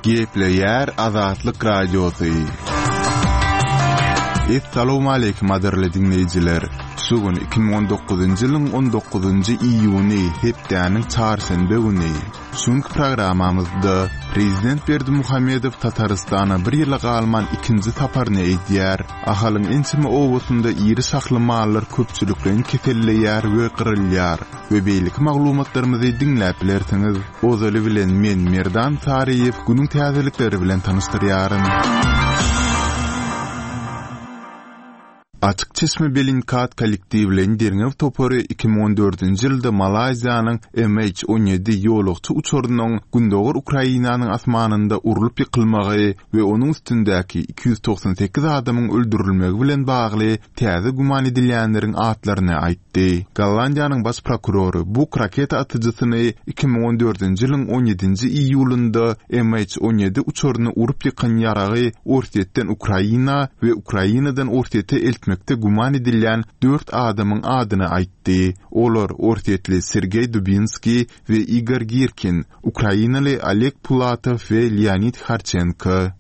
Gepleýär Azatlyk Radiosy. Essalawmaleýkim gadyrly diňleýjiler! Şu gün 2019-njy ýylyň 19-njy iýuny, hepdäniň çarşenbe güni. Şu günki programmamyzda Prezident Berdimuhamedow Tatarystana bir ýyla galman ikinji saparyny edýär. Ahalyň ençeme obasynda iri şahly mallar köpçülikleýin keselleýär we gyrylýar we beýleki maglumatlarymyzy diňläp bilersiňiz. Ozaly bilen men Merdan Saryýew günüň täzelikleri bilen tanyşdyrýaryn. Açyk çeşme Bellingcat kollektiwleýin derňew topary 2014-nji ýylda Malaýziýanyň MH 17 ýolagçy uçarynyň gündogar Ukrainanyň asmanynda urlup ýykylmagy we onuň üstündäki 298 adamyň öldürilmegi bilen bagly täze güman edilýänleriň atlaryny aýtdy. Gollandiýanyň baş prokurory Buk raketa atyjysyny 2014-nji ýylyň on ýedinji iýulynda MH 17 uçaryny urup ýykan ýaragy Orsýetden Ukraina we Ukrainadan Orsýete eltmekde güman edilýän dört adamyň adyny aýtdy. Olar orsýetli Sergeý Dubinskiý we Igor Girkin, ukrainaly Oleg Pulatow we Leonid Harçenko.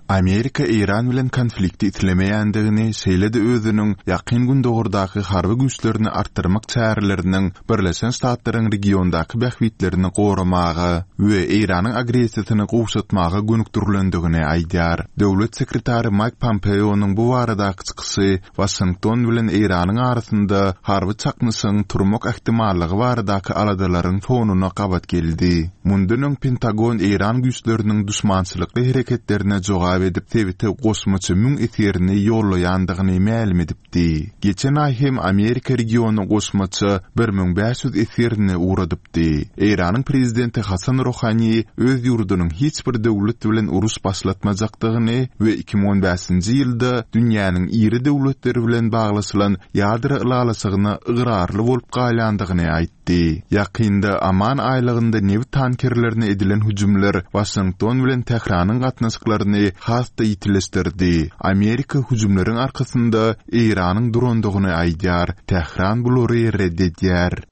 Amerika Eýran bilen konflikti islemeýändigini, şeýle-de özüniň Ýakyn Gündogardaky harby güýçlerini artdyrmak çäreleriniň Birleşen Ştatlaryň regiondaky bähbitlerini goramaga we Eýranyň agressiýasyny gowşatmaga gönükdirilendigini aýdýar. Döwlet sekretary Maýk Pompeonyň bu baradaky çykyşy Waşington bilen Eýranyň arasynda harby çaknyşygyň turmak ähtimallygy baradaky aladalaryň fonuna gabat geldi. Mundan öň Pentagon eýran güýçleriniň duşmançylykly hereketlerine jogap edip sebite goşmaça müň esgerini ýollaýandygyny mälim edipdi. Geçen aý hem Amerika regiona goşmaça 1500 esgerini ugradypdy. aýtdy. Eýranyň prezidenti Hasan Rohani öz ýurdunyň hiç bir döwlet bilen uruş başlatmajakdygyny we 2015-nji ýylda dünýäniň iri döwletleri bilen baglaşylan ýadro ylalaşygyna ygrarly bolup galýandygyny aýtdy. Ýakynda Oman aýlagynda nebit tankerlerine edilen hüjümler Waşington bilen Tähranyň gatnaşyklaryny has-da ýitileşdirdi. Amerika hüjümleriň arkasynda Eýranyň durandygyny aýdýar, Tähran bulary ret edýär.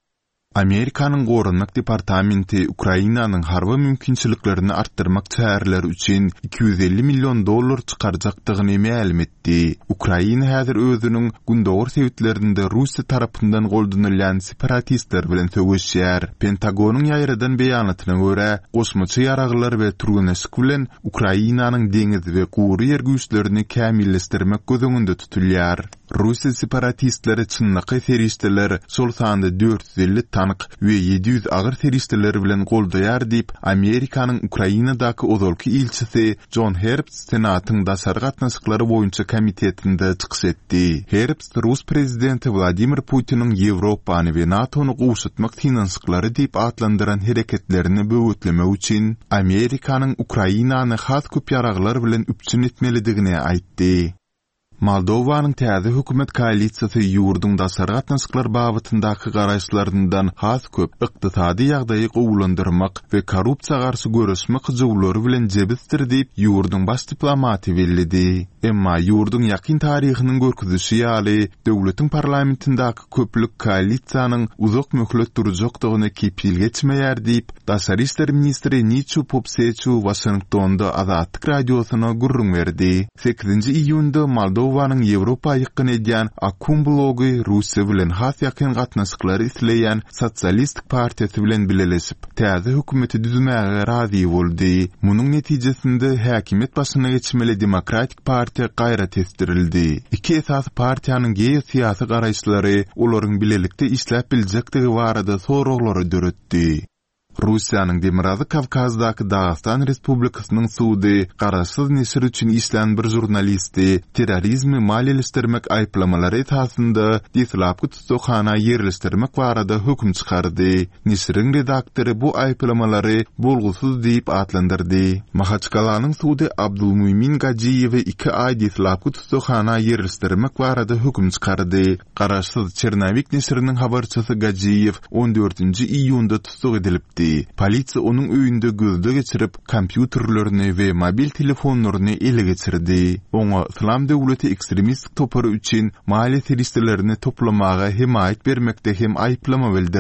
Amerikanyň Goranmak departamenti Ukrainanyň harby mümkinçiliklerini artdyrmak çäreleri üçin 250 million dollar çykarjakdygyny mälim etdi. Ukraina häzir özüniň gündogar sebitlerinde Russiýa tarapyndan goldanylýan separatistler bilen söweşýär. Pentagonyň ýaýradan beýanatyna görä, goşmaça ýaraglar we türgenleşik bilen Ukrainanyň deňiz we gury ýer güýçlerini kämilleşdirmek göz öňünde tutulýar. Russiýa separatistleri çynlakaý serişdeler, şol sanda 450 tank we 700 agyr serişdeler bilen goldaýar diýip, Amerikanyň Ukrainadaky ozalky ilçisi Jon Herbst Senatyň daşary gatnaşyklary boýunça komitetinde çykyş etdi. Herbst rus prezidenti Wladimir Putiniň Ýewropany we NATO-ny gowşatmak synanyşyklary diýip atlandyran hereketlerini böwetlemek üçin Amerikanyň Ukrainany has köp ýaraglar bilen üpjün etmelidigini aýtdy. Moldowanyň täze hökümet koalisiýasy ýurduň daşary gatnaşyklar babatyndaky garaýyşlaryndan has köp ykdysady ýagdaýy gowulandyrmak we korrupsiýa garşy göreşmek hyjuwlary bilen jebisdir diýip, ýurduň baş diplomaty belledi. Emma ýurduň ýakyn taryhynyň görkezişi ýaly, döwletiň parlamentindäki köplük koalisiýanyň uzak möhlet durjakdygyna kepil geçmeýär diýip, daşary işler ministri Niçu Popseçu Waşingtonda Azatlyk Radiosyna gürrüň berdi. Sekizinji iýunda Moldowanyň Ýewropa ýykgyn edýän Akum blogy Russiýa bilen has ýakyn gatnaşyklary isleýän Sosialistik partiýasy bilen bileleşip, täze hökümeti düzmäge razy boldy. Munuň netijesinde häkimiýet başyna geçmeli Demokratik partiýa gaýra tesdirildi. Iki esasy partiýanyň geosyýasy garaýyşlary olaryň bilelikde işläp biljekdigi barada soraglary döretdi. Russiýanyň Demirgazyk Kawkazdaky Dagystan Respublikasynyň sudy garaşsyz neşir üçin işlän bir žurnalisti terrorizmi maliýeleşdirmek aýyplamalary esasynda deslapky tussaghana ýerleşdirmek barada höküm çykardy. Neşiriň redaktory bu aýyplamalary bolgusyz diýip atlandyrdy. Mahaçkalanyň sudy Abdulmumin Gajiýewi iki aý deslapky tussaghana ýerleşdirmek barada höküm çykardy. Garaşsyz Çernowik neşiriniň habarçysy Gajiýew on dördünji iýunda tussag edilipdi. Polisiýa onuň öýünde gözleg geçirip, kompýuterlerini we mobil telefonlaryny ele geçirdi. Oňa Yslam döwleti ekstremistik topary üçin maliýe serişdelerini toplamaga hemaýat bermekde hem aýyplama bildirildi.